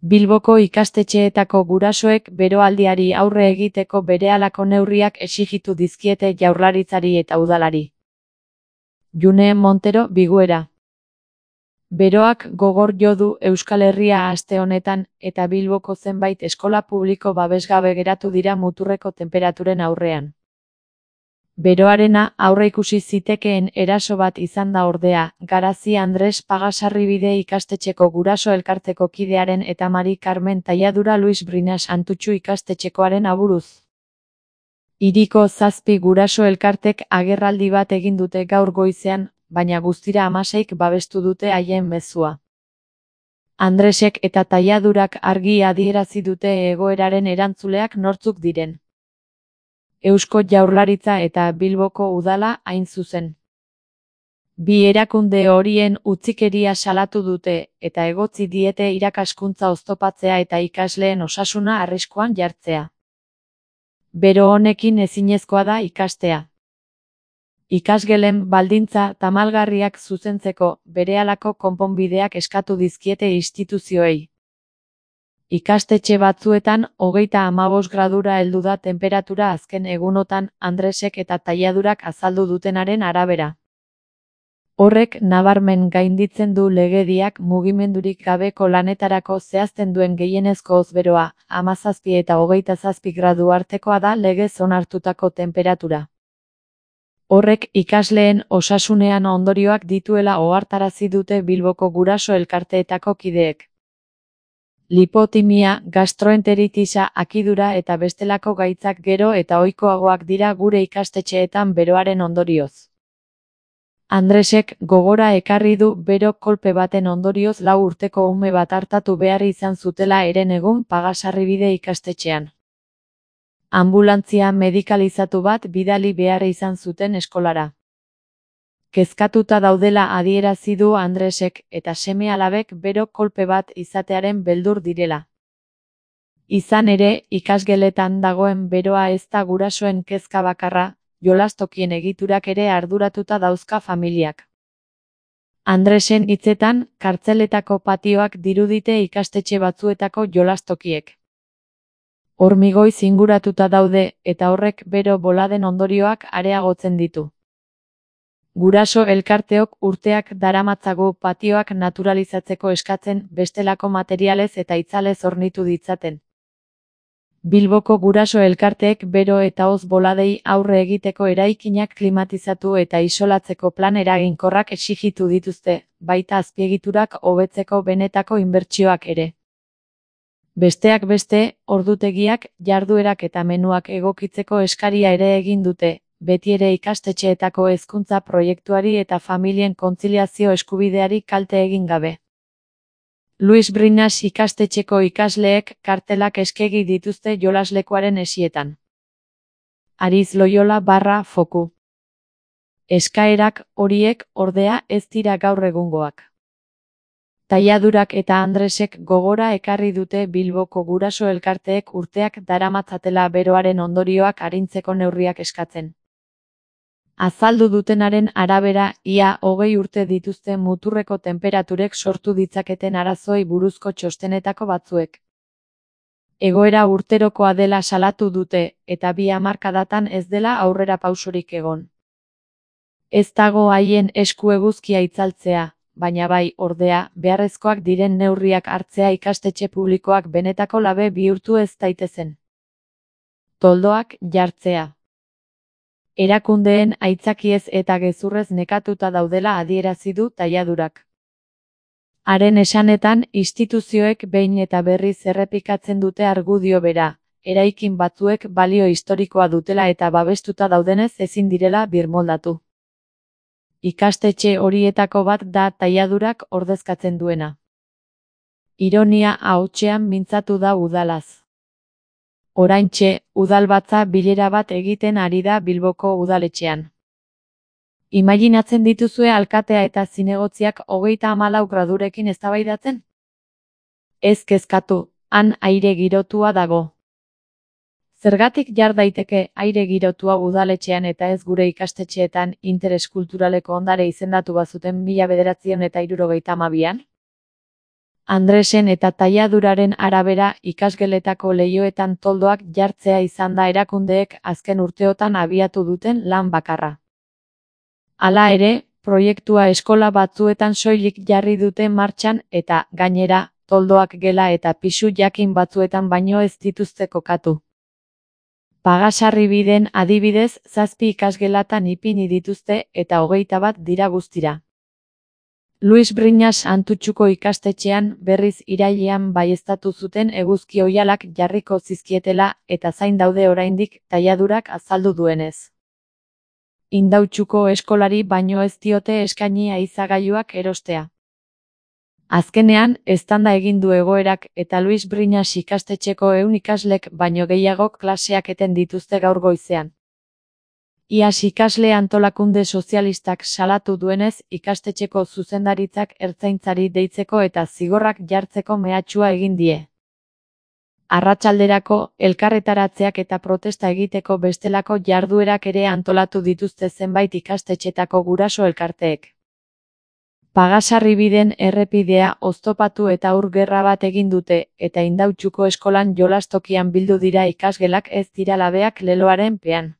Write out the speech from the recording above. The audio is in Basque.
Bilboko ikastetxeetako gurasoek beroaldiari aurre egiteko berehalako neurriak exijitu dizkiete Jaurlaritzari eta Udalari. June Montero, Biguera. Beroak gogor jo du Euskal Herria aste honetan eta Bilboko zenbait eskola publiko babesgabe geratu dira muturreko tenperaturen aurrean. Beroarena aurreikusi zitekeen eraso bat izan da ordea, Garazi Andres Pagasarribide ikastetxeko guraso elkarteko kidearen eta Mari Carmen Talladura Luis Brinas Antutxu ikastetxekoaren aburuz. Hiriko 7 guraso elkartek agerraldi bat egin dute gaur goizean, baina guztira 16 babestu dute haien mezua. Andresek eta Talladurak argi adierazi dute egoeraren erantzuleak nortzuk diren. Eusko Jaurlaritza eta Bilboko Udala hain zuzen. Bi erakunde horien utzikeria salatu dute eta egotzi diete irakaskuntza oztopatzea eta ikasleen osasuna arriskuan jartzea. Bero honekin ezinezkoa da ikastea. Ikasgelen baldintza tamalgarriak zuzentzeko berehalako konponbideak eskatu dizkiete instituzioei. Ikastetxe batzuetan 35 gradura heldu da tenperatura azken egunotan Andresek eta Talladurak azaldu dutenaren arabera. Horrek nabarmen gainditzen du legediak mugimendurik gabeko lanetarako zehazten duen gehienezko ozberoa, 17 eta 27 gradu artekoa da legez onartutako tenperatura. Horrek ikasleen osasunean ondorioak dituela ohartarazi dute Bilboko guraso elkarteetako kideek. Lipotimia, gastroenteritisa, akidura eta bestelako gaitzak gero eta ohikoagoak dira gure ikastetxeetan beroaren ondorioz. Andresek gogora ekarri du bero kolpe baten ondorioz 4 urteko ume bat artatu behar izan zutela herenegun Pagasarribide ikastetxean. Anbulantzia medikalizatu bat bidali behar izan zuten eskolara. Kezkatuta daudela adierazi du Andresek eta seme-alabek bero kolpe bat izatearen beldur direla. Izan ere, ikasgeletan dagoen beroa ez da gurasoen kezka bakarra, jolastokien egiturak ere arduratuta dauzka familiak. Andresen hitzetan, kartzeletako patioak dirudite ikastetxe batzuetako jolastokiek. Hormigoiz inguratuta daude eta horrek bero boladen ondorioak areagotzen ditu. Guraso elkarteok urteak daramatzagu patioak naturalizatzeko eskatzen bestelako materialez eta itzalez hornitu ditzaten. Bilboko guraso elkarteek bero eta hoz boladei aurre egiteko eraikinak klimatizatu eta isolatzeko plan eraginkorrak exijitu dituzte, baita azpiegiturak hobetzeko benetako inbertsioak ere. Besteak beste, ordutegiak, jarduerak eta menuak egokitzeko eskaria ere egin dute, beti ere ikastetxeetako hezkuntza proiektuari eta familien kontziliazio eskubideari kalte egin gabe. Luis Brinas ikastetxeko ikasleek kartelak eskegi dituzte jolaslekuaren esietan. Ariz Loyola / Foku. Eskaerak horiek ordea ez dira gaur egungoak. Talladurak eta Andresek gogora ekarri dute Bilboko guraso elkarteek urteak daramatzatela beroaren ondorioak arintzeko neurriak eskatzen. Azaldu dutenaren arabera, ia 20 urte dituzte muturreko tenperaturek sortu ditzaketen arazoei buruzko txostenetako batzuek. Egoera urterokoa dela salatu dute, eta 2 hamarkadatan ez dela aurrera pausorik egon. Ez dago haien esku eguzkia itzaltzea, baina bai, ordea, beharrezkoak diren neurriak hartzea ikastetxe publikoak benetako labe bihurtu ez daitezen. Toldoak jartzea. Erakundeen aitzakiez eta gezurrez nekatuta daudela adierazi du Talladurak. Haren esanetan, instituzioek behin eta berriz errepikatzen dute argudio bera, eraikin batzuek balio historikoa dutela eta babestuta daudenez ezin direla birmoldatu. Ikastetxe horietako bat da Talladurak ordezkatzen duena. Ironia ahotsean mintzatu da udalaz. Oraintxe, udalbatza bilera bat egiten ari da Bilboko udaletxean. Imaginatzen dituzue alkatea eta zinegotziak 34 gradurekin eztabaidatzen? Ez kezkatu, han aire girotua dago. Zergatik jar daiteke aire girotua udaletxean eta ez gure ikastetxeetan interes kulturaleko ondare izendatu bazuten 1972an? Andresen eta tailaduraren arabera ikasgeletako leihoetan toldoak jartzea izan da erakundeek azken urteotan abiatu duten lan bakarra. Hala ere, proiektua eskola batzuetan soilik jarri dute martxan eta, gainera, toldoak gela eta pisu jakin batzuetan baino ez dituzte kokatu. Pagasarribiden adibidez 7 ikasgelatan ipini dituzte eta 21 dira guztira. Luis Briñas Antutxuko ikastetxean berriz irailean baieztatu zuten eguzki oihalak jarriko zizkietela eta zain daude oraindik tailadurak azaldu duenez. Indautxuko eskolari baino ez diote eskaini aizagailuak erostea. Azkenean, eztanda egin du egoerak eta Luis Briñas ikastetxeko 100 ikaslek baino gehiagok klaseak eten dituzte gaur goizean. Iaz ikasle antolakunde sozialistak salatu duenez ikastetxeko zuzendaritzak ertzaintzari deitzeko eta zigorrak jartzeko mehatxua egin die. Arratsalderako, elkarretaratzeak eta protesta egiteko bestelako jarduerak ere antolatu dituzte zenbait ikastetxetako guraso elkarteek. Pagasarribiden errepidea oztopatu eta ur gerra bat egin dute eta Indautxuko eskolan jolastokian bildu dira ikasgelak ez dira labeak leloaren pean.